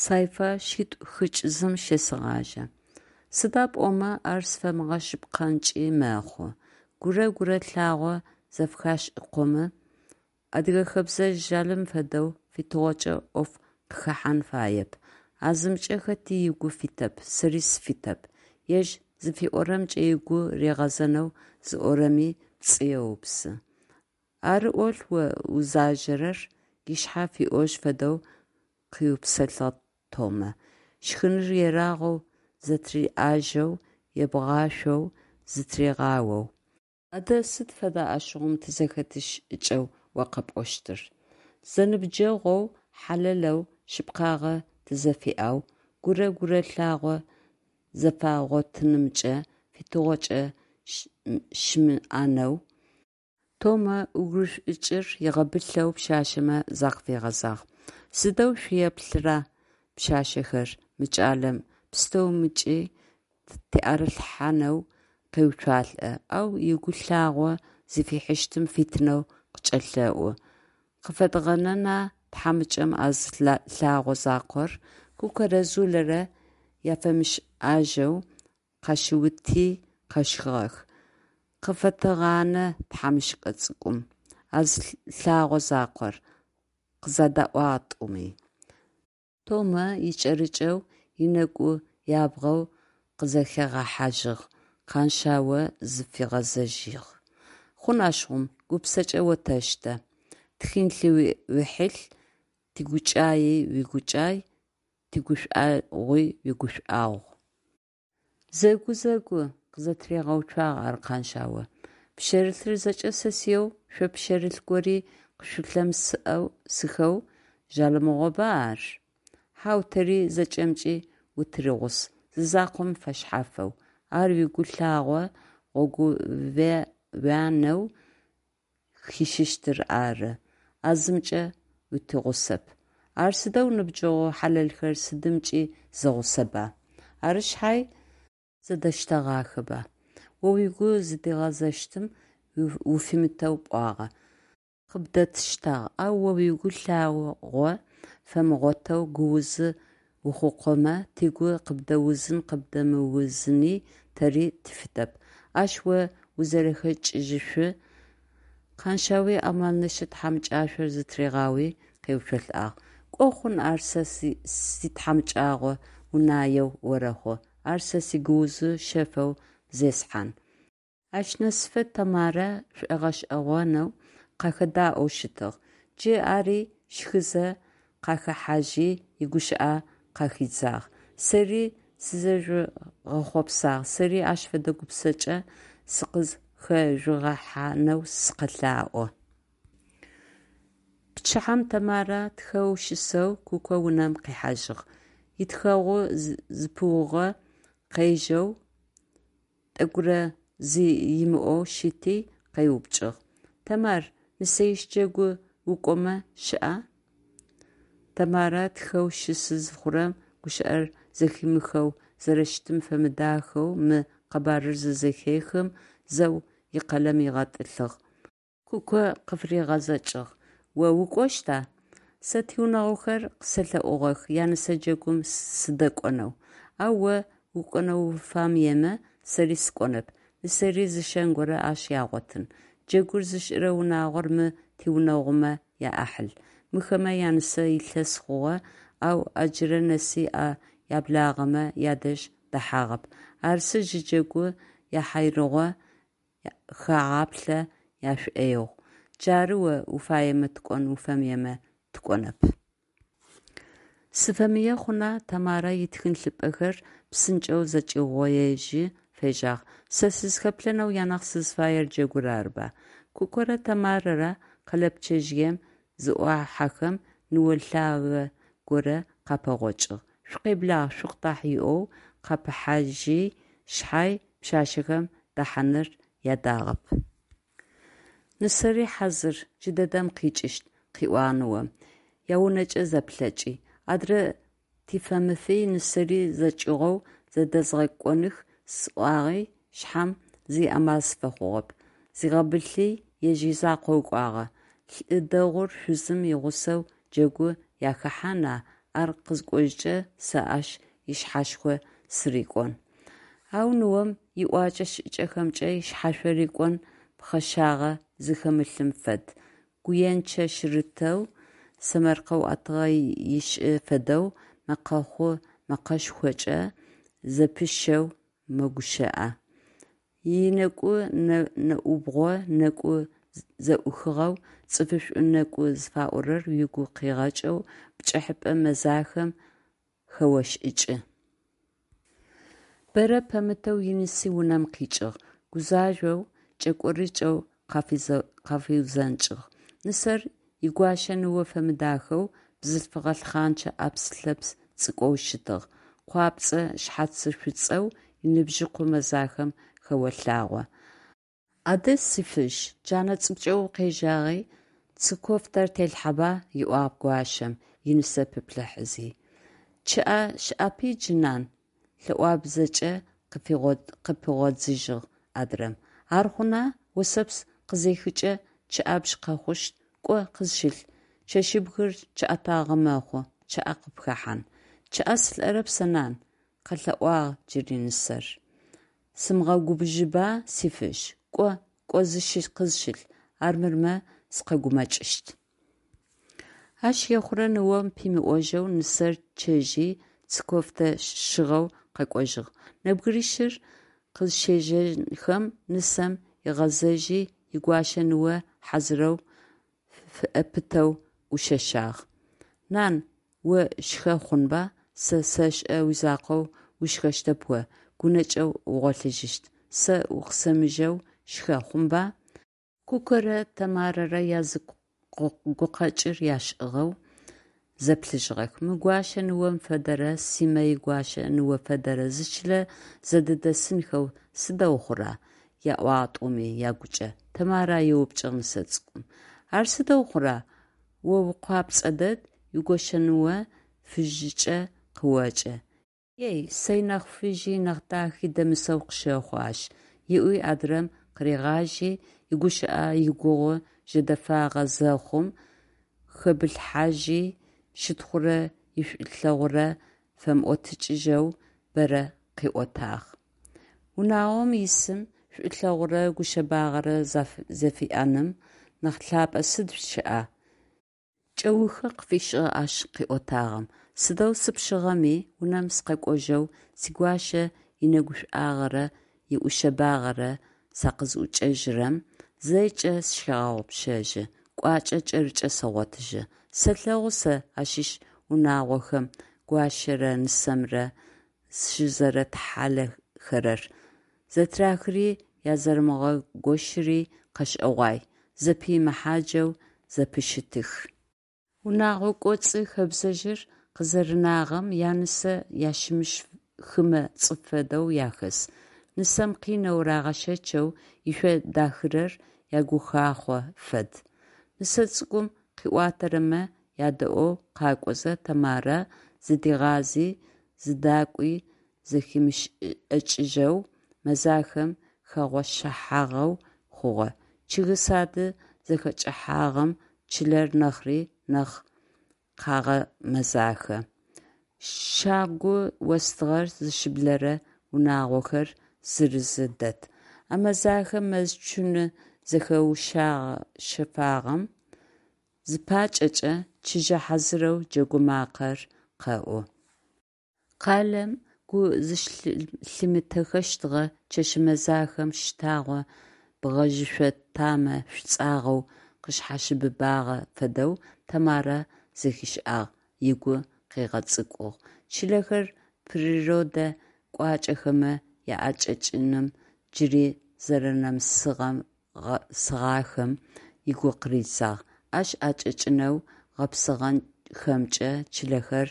Сайфа шъитӏу-хыкӏ зым щесэгъажьэ. Сыда пӏомэ ар сфэмыгъэшъыпкъэнкӏи мэхъу. Гурэ гурэ лъагъо зэфыхашӏыкъомэ, адыгэ хэбзэ жъалым фэдэу фитыгъокӏэ ӏоф къыхэхьан фаеп. А зымкӏэ хэти ыгу фитэп, сэри сыфитэп. Ежь зыфиӏорэмкӏэ ыгу ригъэзэнэу зыӏорэми пцӏы еупсы. Ары ӏолъ о узажэрэр, ышъхьэ фиӏожь фэдэу къыупсэлъыгъ Томэ, щхыныр ерагъэу зэтыриӏажэу, ебгъашъоу зытыригъаоу. Адэ сыд фэда ащыгъум тизэхэтын шӏыкӏэу о къэпӏощтыр? Зэныбджэгъоу, хьалэлэу, шъыпкъагъэ тызэфиӏэу, гурэ гурэ лъагъо зэфагъотынымкӏэ фитыгъокӏэ щымыӏэнэу. Томэ ӏугушӏукӏыр ыгъэбылъэу пшъашъэмэ закъыфигъэзагъ: Сыдэу шъуеплъыра, пшъашъэхэр, мы кӏалэм, пстэумкӏи тиӏэрылъхьанэу къеуцуалӏэ, ау ыгу лъагъо зыфихьыщтым фитынэу къыкӏэлъэӏу. Къыфэдгъэнэна тхьамыкӏэм а зы лъагъо закъор? Кукэрэ Зулэрэ яфэмышӏэжьэу къащиути къэщхыгъэх. Къыфэтэгъанэ тхьамыкӏэ цӏыкӏум а зы лъэгъо закъор, къызэдаӏуагъ тӏуми. Томэ икӏэрыкӏэу ынэкӏу ябгъэу къызэхигъэхьажьыгъ, Къаншъао зыфигъэзэжьыгъ: Хъун ащыгъум, гупсэкӏэ отэштэ. Тихьылъи уихьылъ, тигукӏаий уигукӏай, тигушӏуагъуи уигушӏуагъу. Зэгу, зэгу, къызэтыригъэуцуагъ ар Къаншъао. Пшъэрылъыр зэкӏэ сэсыеу, шъо пшъэрылъ гори къышъулъымысыхэу жъалымыгъоба ар? Хьау, тэри зэкӏэмкӏи утыригъус, зы закъом фэшъхьафэу. Ар уигу лъагъо гъогууанэу хищыщтыр ары. А зымкӏэ утигъусэп. Ар сыдэу ныбджэгъу хьалэлхэр сыдымкӏи зэгъусэба. Ары шъхьай зэдэтштэгъахэба. О угу зыдигъэзэщтым уфимытэу пӏуагъэ. Къыбдэтштагъ, ау о угу лъагъо фэмыгъотэу гуузы ухъукъомэ, тыгу къыбдэузын-къыбдэмыузыни тэри тыфитэп. Ащ о узэрэхэкӏыжьышъу... Къэншъауи амалынчъэ тхьамыкӏашъор зытыригъауи, къеуцолӏагъ. Кӏо хъун ар сэ ситхьамыкӏагъо унаеу орэхъу, ар сэ сигууз шъэфэу зесхьан. Ащ нэсыфэ Тэмарэ шӀогъэшӀэгъонэу къахэдаӀоу щытыгъ. Джы ари щхызэ къахэхьажьи, игущыӀэ къахидзагъ: Сэри сызэжъугъэхъопсагъ, сэри ащ фэдэ гупсэкӀэ сыкъызхэжъугъэхьанэу сыкъэлъаӀо. Пчыхьэм Тэмарэ тхэу щысэу Куко унэм къихьажьыгъ. Итхэгъу зэпыугъо къежэу тӀэкӀурэ зи ымыӀоу щыти, къеупчӀыгъ: – Тэмар, нысэищ джэгу укӀомэ щыӀа? Тэмарэ тхэу щысы зыхъурэм гущыӀэр зэхимыхэу зэрэщытым фэмыдахэу мы къэбарыр зызэхехым, зэу икъэлэм ыгъэтӀылъыгъ. Куко къыфыригъэзэкӀыгъ: – О укӀощта? Сэ тигъунэгъухэр къысэлъэӀугъэх янысэ джэгум сыдэкӀонэу. Ау о укӀонэу уфэмыемэ, сэри сыкӀонэп. Нысэри зыщэн горэ ащ ягъотын. Джэгур зышӀырэ унагъор мы тигъунэгъумэ яӀахьыл. Мыхэмэ янысэ илъэс хъугъэ, ау ыджырэ нэси а яблагъэмэ ядэжь дэхьагъэп. Арсы джы джэгу яхьайрыгъо хагъаплъэ яшӀоигъу. Джары о уфаемэ тыкӀон, уфэмыемэ тыкӀонэп. Сыфэмые хъуна! – Тэмарэ итхылъыпӀэхэр псынкӀэу зэкӀиугъоежьи фежьагъ. – Сэ сызхэплъэнэу анахь сызфаер джэгур арыба. Кукорэ Тэмарэрэ къэлэпчъэжъыем зыӀохьэхэм, ныо лъагэ горэ къапэгъокӀыгъ. «Шъукъеблагъ, шъукъыдахь!» ыӀоу къапыхьажьи шъхьай, пшъашъэхэм дэхьаныр ядагъэп. «Нысэри хьазыр, джыдэдэм къикӀыщт», – къыӏуагъ ныом, яунэкӏэ зэплъэкӏи. Адрэ тифэмыфи нысэри зэкӏыгъоу зэдэзгъэкӏоных сӏуагъи шъхьам, зи амал сыфэхъугъэп. Зигъэбылъи ежь изакъоу кӏуагъэ. Лӏы дэгъур шъузым игъусэу джэгу яхэхьана? Ар къызыкӏожькӏэ сэ ащ ышъхьашхо сырикӏон. Ау ныом иӏокӏэ-шӏыкӏэхэмкӏэ ышъхьашъо рикӏон пхъэшагъэ зыхэмылъым фэд, гуенчъэ-шъырытэу, сэмэркъэу ӏэтыгъэ ышӏы фэдэу мэкъэхъу мэкъэшхокӏэ зэпыщэу мэгущыӏэ. Инэкӏу нэӏубгъо нэкӏу зэӏухыгъэу, цӏыфышӏу нэкӏу зыфаӏорэр угу къигъэкӏэу, пкӏыхьэпӏэ мэзахэм хэошӏыкӏы. Бэрэ пэмытэу иныси унэм къикӏыгъ, гузажъоу, кӏэкӏорыкӏэу къафиузэнкӏыгъ. Нысэр игуащэ ныо фэмыдахэу бзылъфыгъэ лъхъанчэ ӏэпс-лъэпс цӏыкӏоу щытыгъ, къуапцӏэ шъхьацышӏуцӏэу, иныбжьыкъу мэзахэм хэолъагъо. Адэ, си Фыжь, джанэ цӏыкӏукӏэ укъежьагъи, цы кофтэр телъхьаба, – ыӏуагъ гуащэм, инысэ пиплъыхьэзэ. Чъыӏэ щыӏэпи джы, нан, – лъэӏуабзэкӏэ къыпигъодзыжьыгъ адрэм. Ар хъуна, осэпс къызехыкӏэ чъыӏэбжь къэхъущт, кӏо къызщылъ, чэщыбгыр чъыӏэтагъэ мэхъу, чъыӏэ къыпхэхьан. Чъыӏэ сылӏэрэп сэ, нан, – къэлъэӏуагъ джыри нысэр. Сымыгъэгубжыба, си Фыжь? Кӏо, кӏо къызщылъ, армырмэ сыкъэгумэкӏыщт. Ащ ехъурэ ныом пимыӏожьэу нысэр чъэжьи, цы кофтэ щыгъэу къэкӏожьыгъ. Нэбгырищыр къызщежьэхэм, нысэм ыгъэзэжьи, игуащэ ныо хьазырэу фыӏэпытэу ӏушъэшъагъ: Нан, о шхэ хъунба, сэ сэшӏэ уизакъоу ушхэщтэп о, гунэкӏэу угъолъыжьыщт, сэ укъысэмыжэу шхэ, хъунба? Кукэрэ Тэмарэрэ язы гукъэкӏыр яшӏыгъэу зэплъыжьыгъэх: «Мы гуащэ ныом фэдэрэ Симэ игуащэ ныо фэдэрэ зы чылэ зэдыдэсынхэу сыдэу хъура?» – яӏуагъ тӏуми агукӏэ. Тэмарэ еупчӏыгъ нысэ цӏыкӏум: «Ар сыдэу хъура, о укъуапцӏэ дэд, уигощэныо фыжьыкӏэ къыоджэ?» «Ей, сэй нахь фыжьи нахь дахи дэмысэу къысщэхъу ащ», – ыӏуи адрэм къыригъажьи, игущыӏэ игугъу жэдэфагъэ зэхъум, хэбылъхьажьи, щытхъурэ ишӏулъэгъурэ фэмыӏотыкӏыжьэу бэрэ къыӏотагъ. Унагъом исым шӏулъэгъурэ гушъэбагъэрэ зэфиӏэным нахь лъапӏэ сыд щыӏа? Кӏэухы къыфишӏыгъ ащ къыӏотагъэм: «Сыдэу сыпшъыгъэми, унэм сыкъэкӏожьэу сигуащэ инэгушӏуагъэрэ иӏушъэбагъэрэ сакъызӏукӏэжьырэм, зэкӏэ сщегъэгъупшэжьы, кӏуачӏэ кӏэрыкӏэ сэгъотыжьы. Сэлъэгъу сэ ащыщ унагъохэм гуащэрэ нысэмрэ зыщызэрэтхьалэхэрэр, зэтырахыри язэрэмыгъэгощыри къэшӏэгъуай, зэпый мэхъаджэу зэпыщытых. Унэгъо кӏоцӏы хэбзэжъыр къызэринагъэм янысэ ящымыщ хымэ цӏыф фэдэу яхэс. Нысэм къинэу рагъэщэчэу ышъо дахырэр ягухахъо фэд. Нысэ цӏыкӏум къыӏуатэрэмэ ядэӏоу къакӏозэ Тэмарэ, зыдигъази зыдакӏуи зэхимышӏыкӏыжьэу, мэзахэм хэгъощагъэу хъугъэ. Чъыг сады зэхэкӏыхьагъэм чылэр нэхъри нахь къагъэмэзахэ. Щагу остыгъэр зыщыблэрэ унагъохэр зырызы дэт. А мэзахэ мэз цуны зэхэушъэфагъэм зыпакӏэкӏэ, чыжьэ хьазырэу джэгу макъэр къэӏу. Къалэм гу зыщылъимытэхэщтыгъэ чэщ мэзахэм щтагъо бгъэжъышъо тамэ шӏуцӏагъэу къышъхьащыбыбагъэ фэдэу Тэмарэ зэхишӏагъ, ыгу къигъэцӏыкӏугъ. Чылэхэр природэ кӏуачӏэхэмэ аӏэкӏэкӏыным джыри зэрэнэмысыгъахэм ыгу къыридзагъ, ащ ӏэкӏэкӏынэу гъэпсыгъэнхэмкӏэ чылэхэр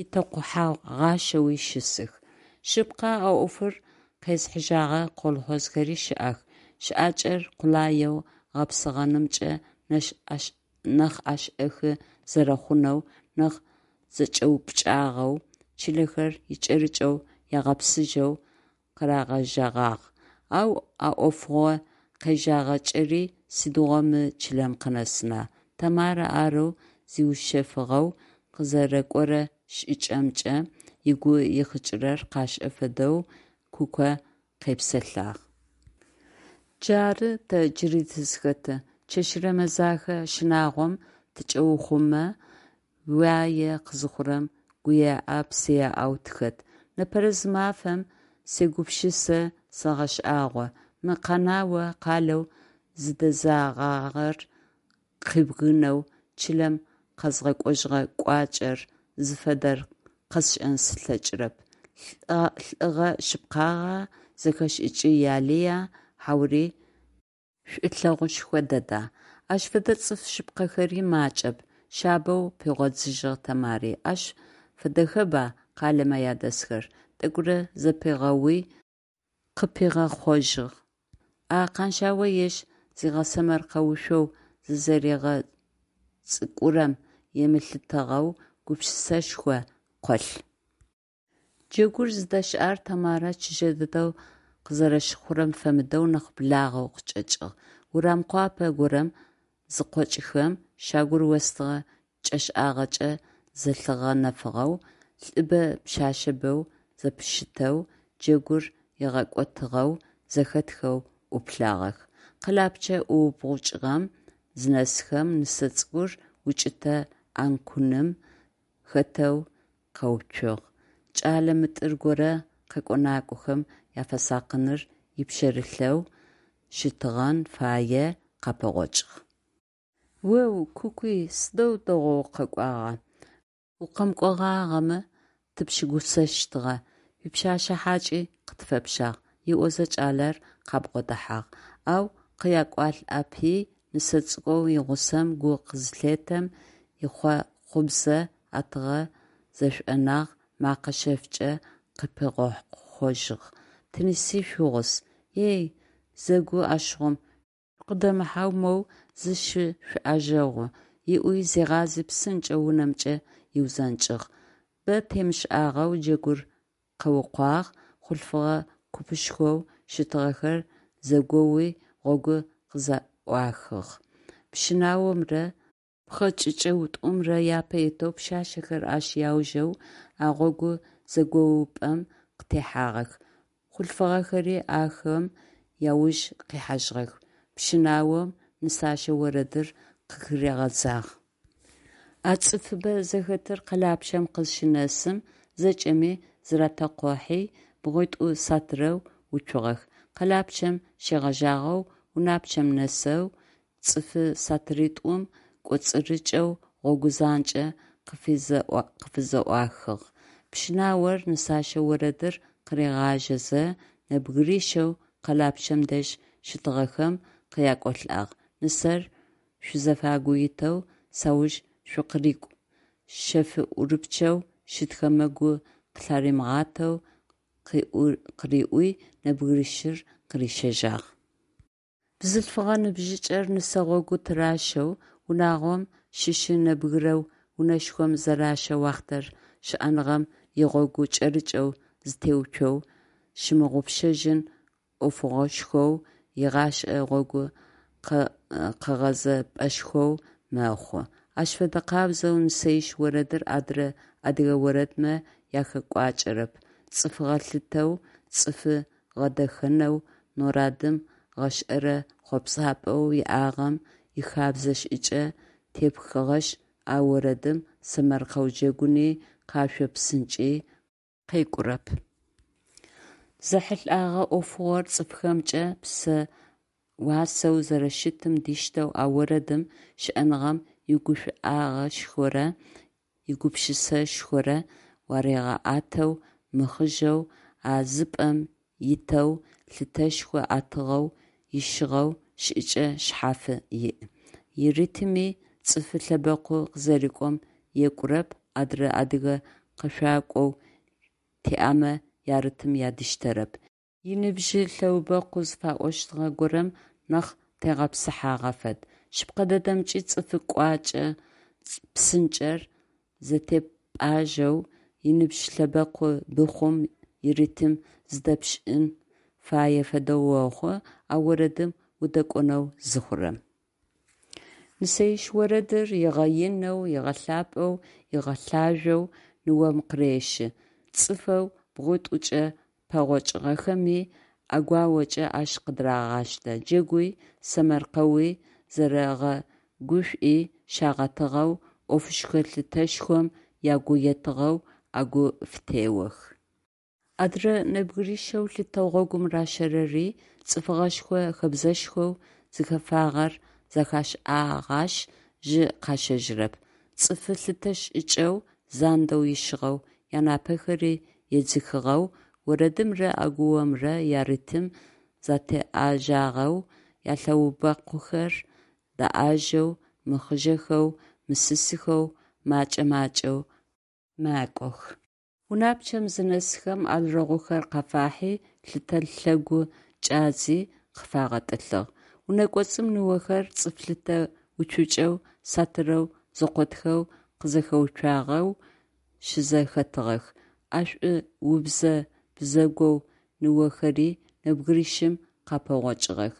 итэкъухьэгъащэуи щысых. Шъыпкъэ, а ӏофыр къезыхьыжьэгъэ колхозхэри щыӏэх, щыӏакӏэр къулаеу гъэпсыгъэнымкӏэ нахь ӏэшӏэхы зэрэхъунэу, нахь зэкӏэупкӏагъэу чылэхэр икӏэрыкӏэу ягъэпсыжьэу къырагъэжьэгъагъ, ау а ӏофыгъо къежьэгъакӏэри сыдигъо мы чылэм къынэсына? Тэмарэ арэу зиушъэфыгъэу къызэрэкӏорэ шӏыкӏэмкӏэ ыгу ихъыкӏырэр къашӏэ фэдэу Куко къепсэлъагъ. Джары тэ джыри тызхэтыр: чэщырэ мэзахэ щынагъом тыкӏеухъумэ, уае къызыхъурэм гуеӏэ-псыеӏэу тыхэт. Непэрэзымафэм сегупшысэ, сэгъэшӏагъо: мы Къэнао къалэу зыдэзэгъагъэр къыбгынэу чылэм къэзгъэкӏожьыгъэ кӏуачӏэр зыфэдэр къэсшӏэн слъэкӏырэп: лӏыгъэ шъыпкъагъа, зэхэшӏыкӏ ялыя, хьаури шӏулъэгъушхо дэда? Ащ фэдэ цӏыф шъыпкъэхэри макӏэп, – шъабэу пигъодзыжьыгъ Тэмари, ащ фэдэхэба къалэмэ адэсхэр? Тӏэкӏурэ зэпигъэуи, къыпигъэхъожьыгъ: А Къаншъао ежь зигъэсэмэркъэушъоу зызэригъэцӏыкӏурэм емылъытыгъэу гупшысэшхо къолъ. Джэгур зыдэщыӏэр Тэмарэ чыжьэ дэдэу къызэрэщыхъурэм фэмыдэу нахь благъэу къычӏэкӏыгъ. Урам къуапэ горэм зыкъокӏхэм, щагур остыгъэ кӏэшӏагъэкӏэ зэлъыгъэнэфыгъэу, лӏыбэ пшъэшъэбэу зэпыщытэу, джэгур игъэкӏотыгъэу зэхэтхэу ӏуплъагъэх. Къэлапчъэ ӏуубгъукӏыгъэм зынэсхэм, нысэ цӏыкӏур укӏытэ ӏанкуным хэтэу къэуцугъ, кӏэлэ мытӏыр горэ къэкӏо-накӏохэм афэсакъыныр ипшъэрылъэу щытыгъэн фае къапэгъокӏыгъ. О-оу, Кукуй, сыдэу дэгъоу укъэкӏуагъа! Укъэмыкӏогъагъэмэ тыпщыгусэщтыгъэ, уипшъашъэ хьакӏи къытфэпщагъ, – ыӏозэ кӏалэр къабгъодэхьагъ, ау къякӏуалӏапи, нысэ цӏыкӏоу игъусэм гу къызылъетэм, ихъохъубзэ ӏэтыгъэ зэшӏонагъ, мэкъэ шъэфкӏэ къыпигъэхъожьыгъ: «Тиныси шъуигъус». Ей, зэгу ащыгъум, шъукъыдэмыхьэу моу зыщышъуӏэжэгъу, – ыӏуи зигъази псынкӏэу унэмкӏэ ыузэнкӏыгъ. Бэ темышӏагъэу джэгур къэукъуагъ, хъулъфыгъэ купышхоу щытыгъэхэр зэгоуи гъогу къызэӏуахыгъ. Пщынаомрэ пхъэкӏычэутӏумрэ япэ итэу, пшъашъэхэр ащ яужэу а гъогу зэгоупӏэм къытехьагъэх, хъулъфыгъэхэри ахэм яуж къихьажьыгъэх. Пщынаом нысащэ орэдыр къыхыригъэдзагъ. А цӏыфыбэ зэхэтыр къэлапчъэм къызщынэсым, зэкӏэми зыратэкъухьи, бгъуитӏу сатырэу уцугъэх. Къэлапчъэм щегъэжьагъэу унапчъэм нэсэу цӏыфы сатыритӏум кӏоцӏырыкӏэу гъогу занкӏэ къыфызэӏуахыгъ. Пщынаор нысащэ орэдыр къыригъажьэзэ, нэбгырищэу къэлапчъэм дэжь щытыгъэхэм къякӏолӏагъ, нысэр шъузэфагу итэу сауж шъукъырыкӏу, шъэф-ӏурыпчъэу щытхэмэ гу къылъаримыгъатэу къыриӏуи, нэбгырищыр къырищэжьагъ. Бзылъфыгъэ ныбжьыкӏэр нысэ гъогу тыращэу, унагъом щыщы нэбгырэу унэшхом зэращэ уахътэр щыӏэныгъэм игъогу кӏэрыкӏэу зытеуцоу, щымыгъупшэжьын ӏофыгъошхоу, игъашӏэ гъогу къэгъэзэпӏэшхоу мэхъу. Ащ фэдэ къабзэу нысэищ орэдыр адрэ адыгэ орэдмэ ахэкӏуакӏэрэп, цӏыф гъэлъытэу, цӏыфы гъэдэхэнэу народым гъэшӏэрэ хъопсапӏэу иӏагъэм ихабзэ-шӏыкӏэ тепхыгъэшъ, а орэдым сэмэркъэу джэгуни, къэшъо псынкӏи къекӏурэп. Зэхьылӏэгъэ ӏофыгъор цӏыфхэмкӏэ псэ уасэу зэрэщытым диштэу а орэдым щыӏэныгъэм игушӏуагъэшхорэ игупшысэшхорэ уаригъэӏэтэу, мыхъыжъэу, а зы пӏэм итэу, лъытэшхо ӏэтыгъэу, ищыгъэу шӏыкӏэ шъхьафы иӏ. Иритми цӏыфы лъэбэкъу къызэрикӏом екӏурэп, адрэ адыгэ къэшъуакӏоу тиӏэмэ яритм адиштэрэп, иныбжьы лъэубэкъу зыфаӏощтыгъэ горэм нахь тегъэпсыхьагъэ фэд. Шъыпкъэ дэдэмкӏи, цӏыфы кӏуачӏэ псынкӏэр зэтепӏажэу, иныбжь лъэбэкъу быхъум иритм зыдэпшӏын фае фэдэу охъу, а орэдым удэкӏонэу зыхъурэм. Нысэищ орэдыр ыгъэинэу, ыгъэлъапӏэу, ыгъэлъажъоу ныом къырещы, цӏыфэу бгъуитӏукӏэ пэгъокӏыгъэхэми ӏэгуаокӏэ ащ къыдырагъаштэ, джэгуи, сэмэркъэуи, зэрэгъэгушӏуи щагъэтыгъэу, ӏофышхо лъытэшхом ягу етыгъэу ӏэгу фытеох. Адырэ нэбгырищэу лъытэу гъогум ращэрэри цӏыфыгъэшхо хэбзэшхоу зыхэфагъэр зэхашӏагъашъ, жьы къащэжьырэп. Цӏыфы лъытэ шӏыкӏэу, зандэу ищыгъэу, янапэхэри едзыхыгъэу, орэдымрэ ӏэгуомрэ яритм зэтеӏэжагъэу, ялъэубэкъухэр даӏажэу, мыхъыжъэхэу, мысысхэу макӏэ-макӏэу макӏох. Унапчъэм зынэсхэм, алрэгъухэр къафахьи, лъытэ лъэгу кӏадзи, къыфагъэтӏылъыгъ. Унэкӏоцӏым ныохэр цӏыф лъытэ уцукӏэу, сатырэу зэкъотхэу къызэхэуцуагъэу щызэхэтыгъэх. ӏэшӏу-убзэ бзэгоу ныохэри нэбгырищым къапэгъокӏыгъэх,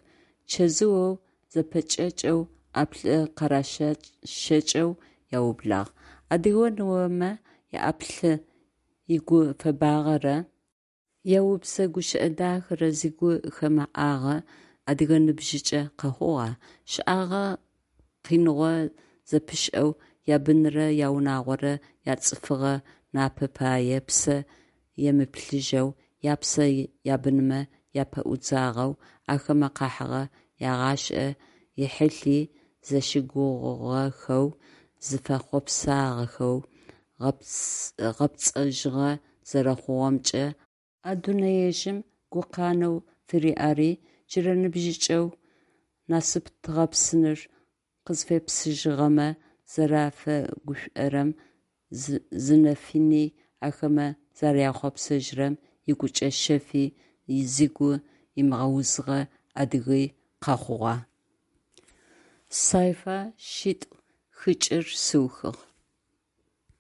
чэзыоу зэпэкӏэкӏэу ӏаплӏы къаращэкӏэу аублагъ. Адыгэ ныомэ яӏаплӏы игуфэбагъэрэ яубзэ гущыӏэ дахэрэ зыгу хэмыӏагъэ адыгэ ныбжьыкӏэ къэхъугъа? Щэӏагъэ къиныгъо зэпышӏэу, ябынрэ яунагъорэ яцӏыфыгъэ напэ пае псэ емыплъыжьэу, япсэ ябынмэ япэӏудзагъэу, ахэмэ къахьыгъэ ягъашӏэ ихьылъи зыщыгугъыгъэхэу, зыфэхъопсагъэхэу гъэпцӏэжьыгъэ зэрэхъугъэмкӏэ а дунэежъым гукъанэу фыриӏэри джырэ ныбжьыкӏэу насып тыгъэпсыныр къызфепсыжьыгъэмэ зэрафэгушӏорэм, зы нэфыни ахэмэ зэряхъопсэжьырэм игукӏэ шъэфи зыгу ымыгъэузыгъэ адыги къэхъугъа? Сайфа шъитӏу-хыкӏыр сыухыгъ.